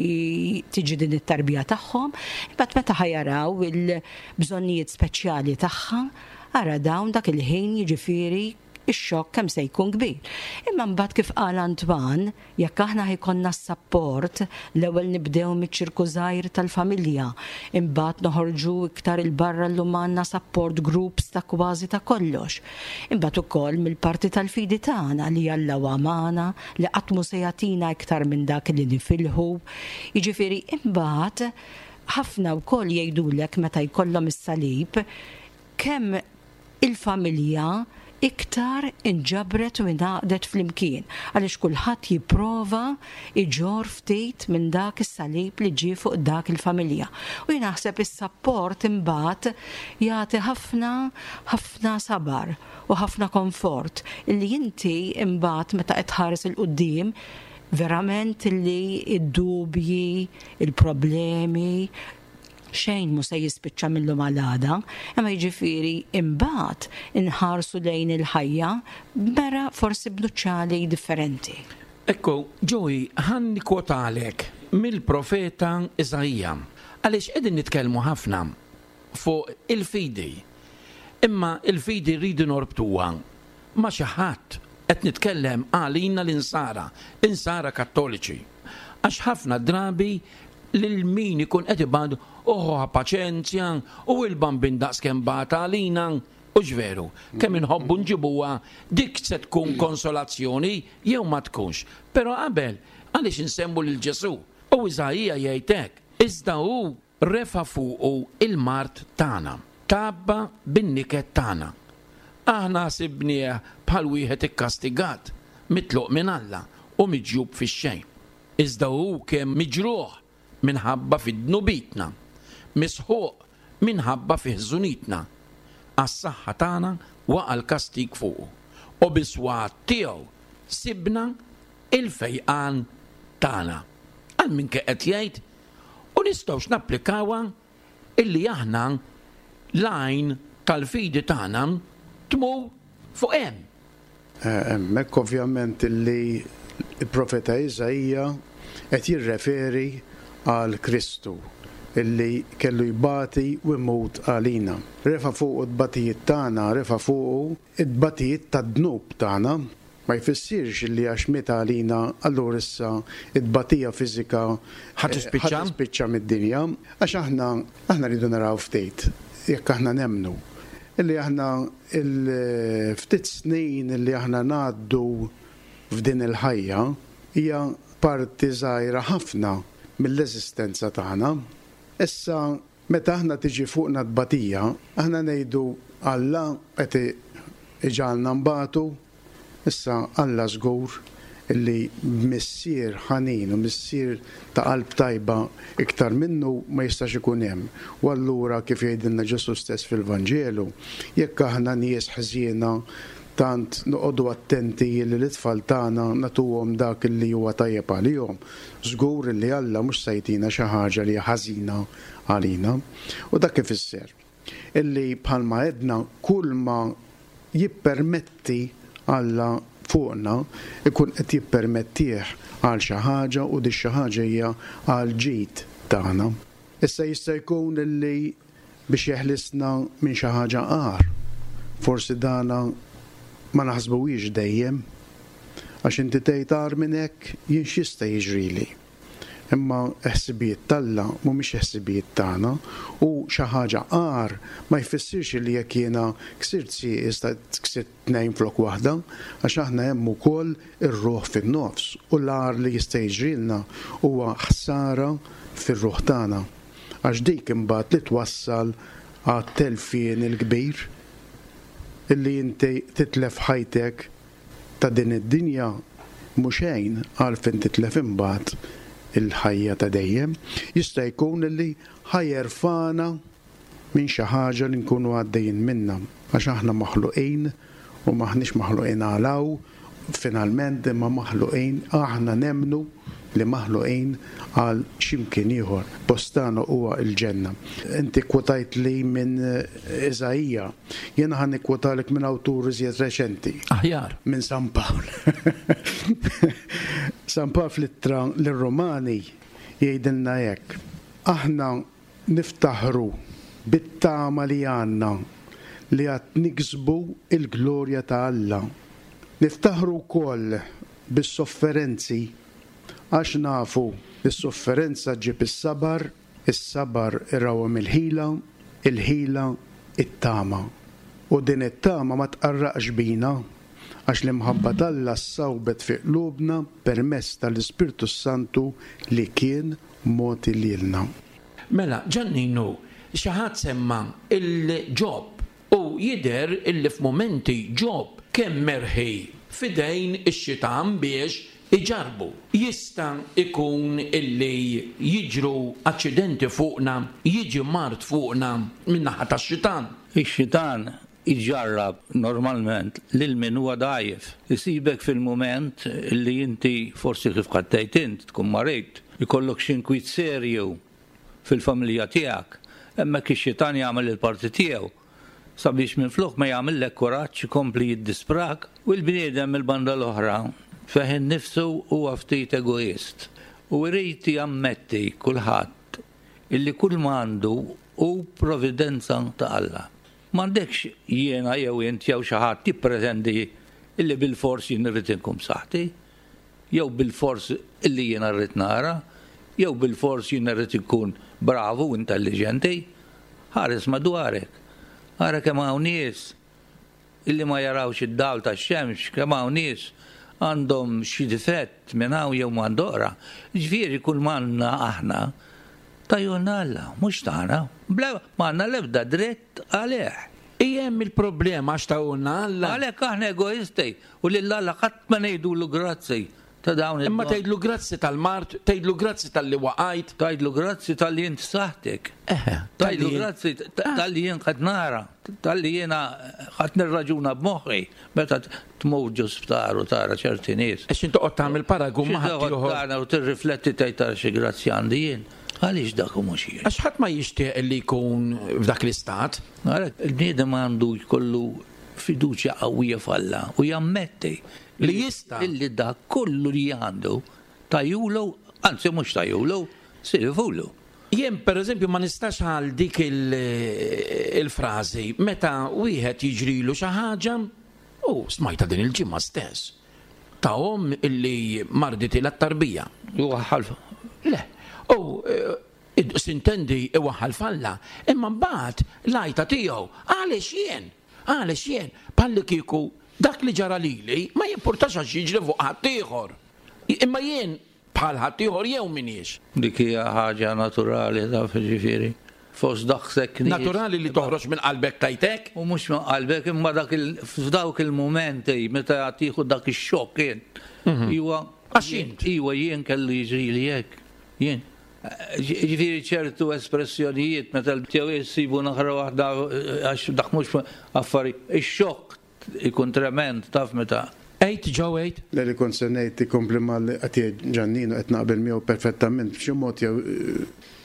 tiġi din it-tarbija tagħhom, imbagħad meta ħa jaraw il-bżonnijiet speċjali tagħha, ara dawn dak il-ħin jiġifieri ix-xokk kemm se jkun kbir. Imma mbagħad kif qal Antoine, jekk aħna ħa jkollna s-sapport, l-ewwel nibdew miċ-ċirku żgħir tal-familja, imbagħad noħorġu iktar il-barra llum għandna support groups ta' kważi ta' kollox. Imbagħad ukoll mill-parti tal-fidi tagħna li Alla huwa magħna, li qatt mhu se jagħtina iktar minn dak li nifilħu. Jiġifieri imbagħad ħafna wkoll jgħidulek meta jkollhom is-salib kemm il-familja iktar inġabret u ingħaqdet flimkien, għaliex kulħadd jipprova iġorr ftit minn dak is-salib li ġie fuq dak il-familja. U jien naħseb is-sapport imbagħad jagħti ħafna, ħafna sabar u ħafna komfort illi inti imbagħad meta qed tħares 'il quddiem verament illi id-dubji, il-problemi, xejn mu se jispiċċa mill-lum għal-għada, imma jiġifieri imbagħad inħarsu lejn il-ħajja mera forsi b'nuċċali differenti. Ekku, Joey, ħa nikkwotalek mill-profeta Iżaija, għaliex qegħdin nitkellmu ħafna fuq il-fidi. Imma il-fidi rridu norbtuha ma' xi ħadd qed nitkellem għalina l-insara, insara kattoliċi. Għax ħafna drabi lil min ikun qed ibad uħu paċenzja u il-bambin daqs kemm bata għalina, u ġveru, kemm inħobbu nġibuha dik se tkun konsolazzjoni jew ma tkunx. Però qabel għaliex insemmu lil Ġesù? U Iżaija jgħid hekk, iżda hu refa fuqu il-mard tagħna, tabba bin-niket tagħna. Aħna sibnieh bħal wieħed ikkastigat, mitluq minn Alla u miġjub fix-xejn. Iżda hu kemm miġruħ minħabba fid-dnubitna, Misħuq minħabba fi ħżunitna. Għas-saħħa tagħna waqa' l-kastig fuqu. U bis-swat tiegħu sibna il-fejqan tagħna. Għal min qed jgħid u nistgħux napplikawha illi aħna l-għajn tal-fidi tagħna tmur fuq hemm. Hemmhekk ovvjament illi il-profeta Iżaija qed jirreferi għal Kristu illi kellu jbati u jmut għalina. Refa' fuqu t-tbatijiet tagħna, refa' fuqu t-tbatijiet tad-dnub tagħna. Ma jfissirx li għax miet għalina allura issa t-tbatija fiżika Ħa tispiċċa? ħa tispiċċa mid-dinja. Għax aħna, aħna rridu naraw ftit, jekk aħna nemmnu, illi aħna il-ftit snin illi aħna ngħaddu f'din il-ħajja hija parti żgħira ħafna mill-eżistenza tagħna. Issa meta aħna tiġi fuqna tbatija, aħna ngħidu Alla qed iġagħalna nbatu. Issa Alla żgur illi missier ħanin u missier ta' qalb tajba iktar minnu ma jistax ikun hemm. U allura kif jgħidilna Ġesu stess fil-Vanġelu, jekk aħna nies ħżiena tant noqogħdu attenti li l-itfal tagħna nagħtuhom dak li huwa tajjeb għalihom, żgur li Alla mhux se jtina xi ħaġa li hija ħażina għalina. U dak ifisser illi bħalma għedna kull ma jippermetti Alla fuqna ikun qed jippermettih għal xi ħaġa u di xi ħaġa hija għal ġid tagħna. Issa jista' jkun illi biex jeħlisna minn xi ħaġa agħar. Forsi dana ma naħsbuhiex dejjem, għax inti tgħid agħar minn hekk jien x'jista' jiġrili. Imma ħsibijiet t'Alla mhumiex ħsibijiet tagħna u xi ħaġa agħar ma jfissirx li jekk jiena ksirt sieq jista' ksirt tnejn flok waħda, għax aħna hemm ukoll ir-ruħ fin-nofs u l-agħar li jista' jiġrilna huwa ħsara fir-ruħ tagħna. Għax dik imbagħad li twassal għat-telfien il-kbir illi inti titlef ħajtek ta' din id-dinja mhux xejn għalfejn titlef imbagħad il-ħajja ta' dejjem. Jista' jkun illi ħajerfana minn xi ħaġa li nkunu għaddejjin minnha, għax aħna maħluqin u maħniex maħluqin għal hawn, finalment imma maħluqin, aħna nemmnu li maħluqin għal x'imkien ieħor. Postana huwa l-ġenna. Inti kwotajt li minn Iżaija, jiena ħa nikkwotalek minn awtur iżjed reċenti. Aħjar. Minn San Pawl. San Pawl fl-ittra lir-Romani jgħidilna hekk. Aħna niftaħru bit-tama li għandna li għad niksbu il-glorja ta' Alla. Niftaħru wkoll bis-sofferenzi għax nafu li s-sofferenza ġib is-sabar, is-sabar irawhem il-ħila, il-ħila it-tama. U din it-tama ma tqarraqx bina, għax l-imħabba t'Alla ssawbet fi qlubna permezz tal-Ispirtu Santu li kien mogħti lilna. Mela, Ġanninu, xi ħadd semma il-Ġob u jidher illi f'mumenti Ġob kemm merħi f'idejn ix-xitan biex iġarbu. Jista' ikun illi jiġru aċċidenti fuqna, jiġi mard fuqna min-naħa tax-xitan. Ix-xitan iġarrab normalment lil min huwa dgħajjef. Isibek fil-mument li inti forsi kif qattejt int tkun marid, ikollok xi inkwiet serju fil-familja tiegħek, hemmhekk ix-xitan jagħmel il-parti tiegħu sabiex minflok ma jagħmillek kuraġġ ikompli jiddisprak u l-bniedem mill-banda l-oħra fih innifsu huwa ftit egoist u jrid jammetti kulħadd illi kull ma għandu hu providenza ta' Alla. M'għandekx jiena jew int jew xi ħadd jippretendi illi bilfors jien irrid inkun b'saħħti, jew bilfors illi jiena rrid nara, jew bilfors jien irrid inkun bravu u intelligenti. Ħares madwarek. Ara kemm hawn nies illi ma jarawx id-dawl tax-xemx, kemm hawn nies għandhom xi difett minn hawn jew m'għand oħra. Ġifieri kull m'għandna aħna tajjolna Alla, mhux tagħna, bla ma għandna l-ebda dritt għalih. Hemm il-problema għax tawna Alla. Għalhekk aħna egoisti u lil Alla qatt ma ngħidulu grazzi. Ta' dawn Imma tgħidlu grazzi tal-mard, tgħidlu grazzi talli waqajt. Tgħidlu grazzi talli int saħtek. Tgħidlu grazzi talli jien qed nara, talli jiena qed nirraġuna b'moħħi meta tmur ġo sptar u tara ċerti nies. Għax inti toqgħod tagħmel paragun ma' ħaddieħor. Tara u tirrifletti tgħid tara xi grazzi għandi jien. Għaliex dak u mhux jien? Għax ħadd ma jixtieq li jkun f'dak l-istat. Il-bniedem għandu jkollu fiduċja qawwija f'Alla u jammetti li jista' illi dak kollu li għandu tajulu, anzi mhux tajulu, silfulu. Jien pereżempju ma nistax għal dik il-frażi meta wieħed jiġrilu xi ħaġa u smajta din il-ġimgħa stess ta' omm illi marditilha t-tarbija. Iwaħħal. Le, u sintendi iwaħħal f'Alla, imma mbagħad l-għajta tiegħu għaliex jien, għaliex jien, bħalli kieku dak li ġara lili ma jimpurtax għax jiġri fuq ħaddieħor. Imma jien bħal ħaddieħor jew m'iniex. Dik hija ħaġa naturali taf ġifieri. Fost daqshekk nies. Naturali li toħroġ minn qalbek tajtek? U mhux minn qalbek imma dak f'dawk il-mumenti meta tieħu dak ix-xokk jien. Iwa għax int. Iwa jien kellu jiġrili hekk. Jien. Ġifieri ċertu espressjonijiet meta jew jsibu naħra waħda għax dak mhux affari. Ix-xokk ikun trement taf meta. Ejt ġew ejt. Le li kont se ngħid ikompli mal qed jgħid Ġannino qed naqbel miegħu perfettament b'xi mod jew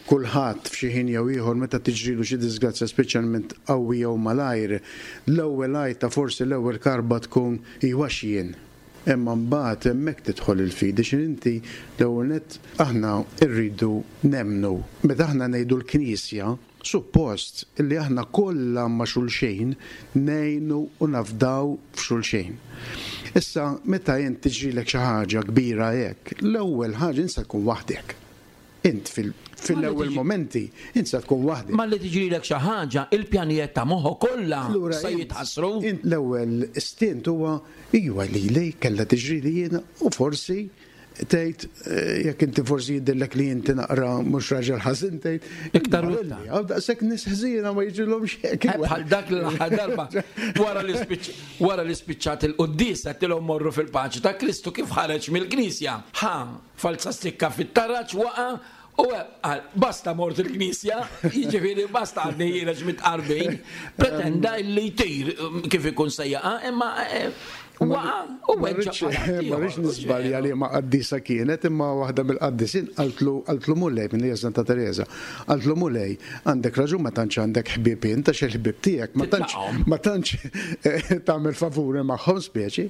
kulħadd f'xi ħin jew ieħor meta tiġrilu xi disgrazzja speċjalment qawwi jew malajr, l-ewwel għajta forsi l-ewwel karba tkun iwa x'jien. Imma mbagħad hemmhekk tidħol il-fidi x'in inti l-ewwel nett aħna rridu nemmnu. Meta aħna ngħidu l-Knisja, suppost illi aħna kollha ma' xulxejn ngħinu u nafdaw f'xulxejn. Issa meta int tiġrilek xi ħaġa kbira hekk, l-ewwel ħaġa insa tkun waħdek. Int fil-ewwel momenti insa tkun waħdek. Ma li tiġrilek xi ħaġa, il-pjanijiet ta' moħħok kollha se jitħassru. Int l-ewwel istint huwa iwa lili kellha tiġrili jiena u forsi tgħid jekk inti forsi jidhirlek li inti naqra mhux raġel ħażin tgħid iktar u iktar. Għaw daqshekk nies ħżiena ma jiġrilhomx hekk. Bħal dak l-aħħar darba wara li wara li spiċċat il-quddiesa tilhom morru fil-paċi ta' Kristu kif ħareġ mill-Knisja. Ħa falza stikka fit-taraġ waqa' u basta mort il-Knisja, jiġifieri basta għadni ħiereġ mit-qarbin, pretenda li jtir kif ikun se jaqa' imma Ma rridx niżbalja li ma qaddisa kienet, imma waħda mill-qaddisin qaltlu qaltlu Mulej minn hija Santa Teresa. Qaltlu Mulej, għandek raġun ma tantx għandek ħbieb int għax il-ħbieb tiegħek ma tantx ma tantx tagħmel favuri magħhom speċi.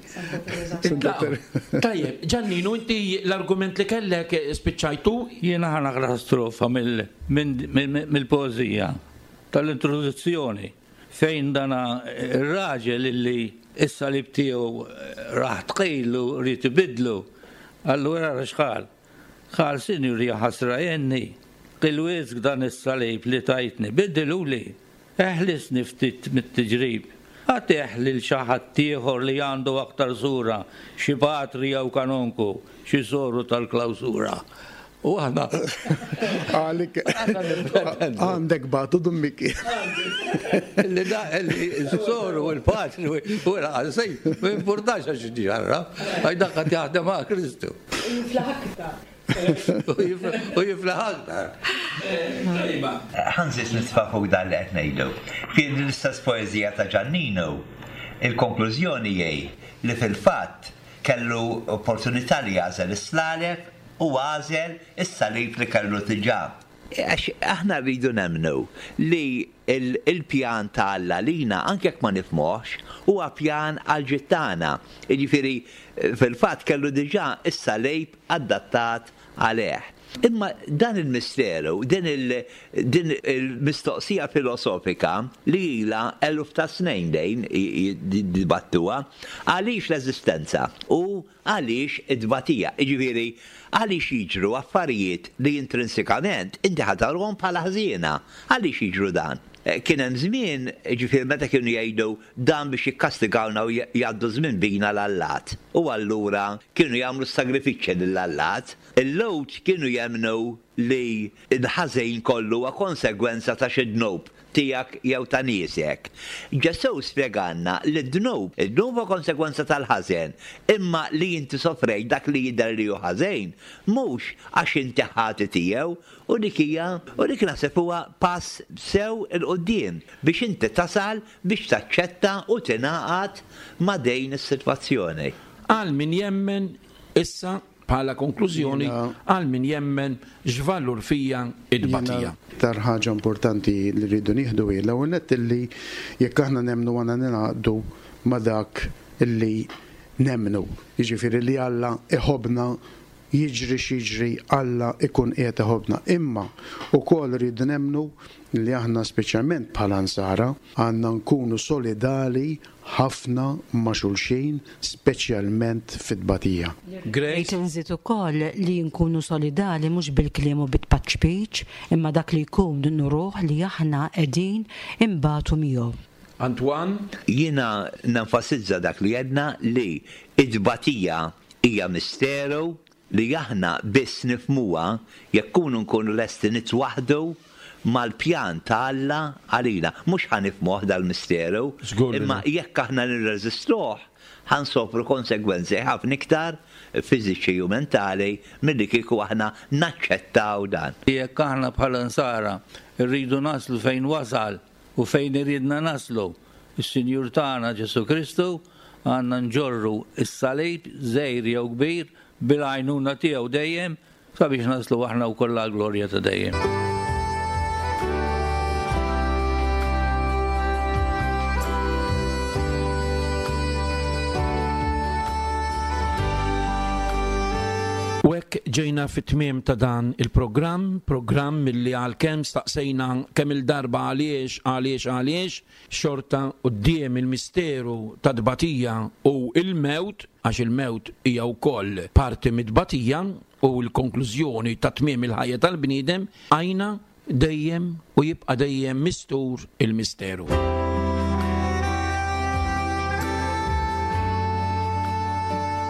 Tajjeb, Ġanninu, inti l-argument li kellek spiċċajtu? Jiena ħa naqra strofa mill-poeżija tal-introduzzjoni fejn dana ir-raġel illi is-salib tiegħu raħ tqil u rrid ibidlu. Allura ara x'qal. Qal sinjur ja ħasra jenni, qil wisq dan is-salib li tajtni, biddiluli, eħlisni ftit mit-tiġrib. Għatih lil xi ħadd ieħor li għandu aktar sura, xi patri jew kanonku, xi soru tal-klawsura. U aħna għalik għandek batu dummiki. Li da li s-soru u l-patri u l-għasej, ma importax għax ġarra, għax dak qed jaħdem ma' Kristu. Jiflaħ aktar. U jiflaħ aktar. Ħanżis nitfa' fuq dan li qed ngħidu. Fi l-istess poeżija ta' Ġannino, il-konklużjoni hi li fil-fatt kellu opportunità li jagħżel is-slaleb u għażel is-salib li kellu diġà. Għax aħna rridu nemmnu li il-pjan ta' Alla lina, anke jekk ma nifhmuhx, huwa pjan għal ġid tagħna. Jiġifieri fil-fatt kellu diġà is-salib adattat għalih. Imma dan il-misteru, din il-mistoqsija filosofika li ilha eluf ta' snin dejn jiddibattuha, għaliex l-eżistenza u għaliex id-tbatija. Jiġifieri għaliex jiġru affarijiet li intrinsikament inti ħatarhom bħala ħżiena. Għaliex jiġru dan? Kien hemm żmien, jiġifieri meta kienu jgħidu dan biex jikkastigawna u jgħaddu żmien bina l-allat. U allura kienu jagħmlu sagrifiċċji lill-allat. Il-lewt kienu jemmnu li l-ħażin kollu huwa konsegwenza ta' xi dnub tiegħek jew ta' niesek. Ġesù spjegalna li d-dnub, id-dnub huwa konsegwenza tal-ħażen, imma li inti sofrejt dak li jidher li hu ħażin, mhux għax inti ħati tiegħu, u dik hija, u dik naħseb huwa pass sew 'il quddiem biex inti tasal biex taċċetta u tingħaqad ma' din is-sitwazzjoni. Għal min jemmen issa bħala konklużjoni, għal min jemmen x'valur fija id-batija. Tar ħaġa importanti li rridu nieħdu hi l-ewwel nett illi jekk aħna nemmnu għandna ningħaqdu ma' dak illi nemmnu. Jiġifieri li Alla iħobbna, jiġri x'jiġri, Alla ikun qiegħed iħobbna. Imma wkoll rridu nemmnu li aħna speċjalment bħala nsara għandna nkunu solidali ħafna ma' xulxin, speċjalment fit-tbatija. Grace? Rrid inżid ukoll li nkunu solidali mhux bil-kliem u bit-tpaċpiċ, imma dak li jkun nuruh li aħna qegħdin imbatu miegħu. Antoine? Jiena nenfasizza dak li għedna li it-tbatija hija misteru li aħna biss nifhmuha jekk kunu nkunu lesti nitwaħdu mal-pjan ta' Alla għalina. Mhux ħa nifhmuh dal-misteru, Żgur li imma le. jekk aħna nirreżistuh, ħa nsofru konsegwenzi ħafna iktar fiżiċi u mentali milli kieku aħna naċċettaw dan. Jekk aħna bħala nsara rridu naslu fejn wasal u fejn iridna naslu, is-Sinjur tagħna Ġesù Kristu, għandna nġorru s-salib żgħir jew kbir bil-għajnuna tiegħu dejjem sabiex naslu aħna wkoll għall-glorja ta' dejjem. U hekk ġejna fit-tmiem ta' dan il-programm, programm milli għalkemm staqsejna kemm il-darba għaliex, għaliex, għaliex, xorta quddiem il-misteru ta' tbatija u il-mewt, għax il-mewt hija wkoll parti mit-tbatija u l-konklużjoni ta' tmiem il-ħajja tal-bniedem, għajna dejjem u jibqa' dejjem mistur il-misteru.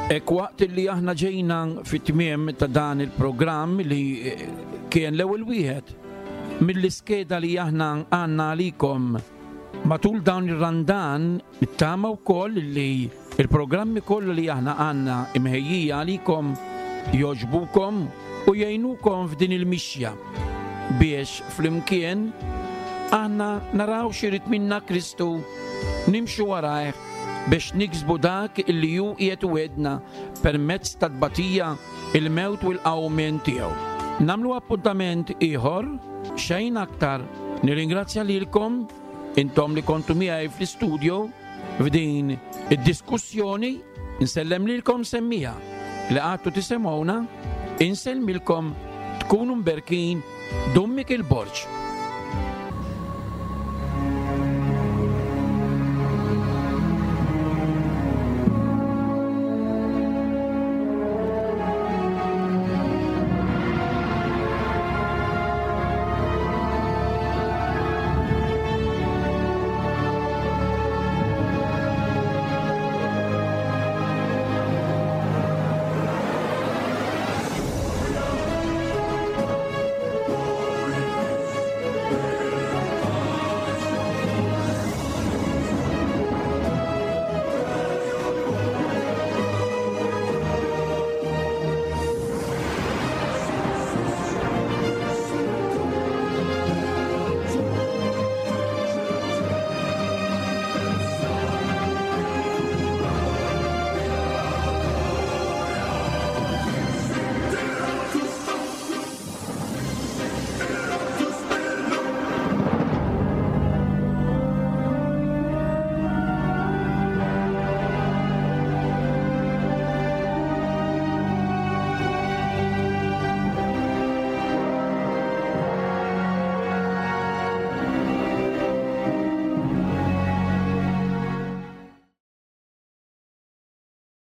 Ek waqt li aħna ġejna fit-tmiem ta' dan il-programm li kien l-ewwel wieħed mill-iskeda li aħna għandna għalikom matul dawn ir-Randan, nittama wkoll li il-programmi kollha li aħna għandna imħejjija għalikom jogħġbukom u jgħinukom f'din il-mixja biex flimkien aħna naraw x'irid minna Kristu, nimxu warajh biex niksbu dak illi hu qiegħed iwegħedna permezz tat-tbatija, il-mewt u l-qawmien tiegħu. Nagħmlu appuntament ieħor, xejn aktar. Nirringrazzja lilkom intom li kontu miegħi fl-istudio f'din id-diskussjoni. Insellem lilkom semmija li għadtu tisimgħuna, insellmilkom, tkunu mberkin. Dun Mikiel Borg.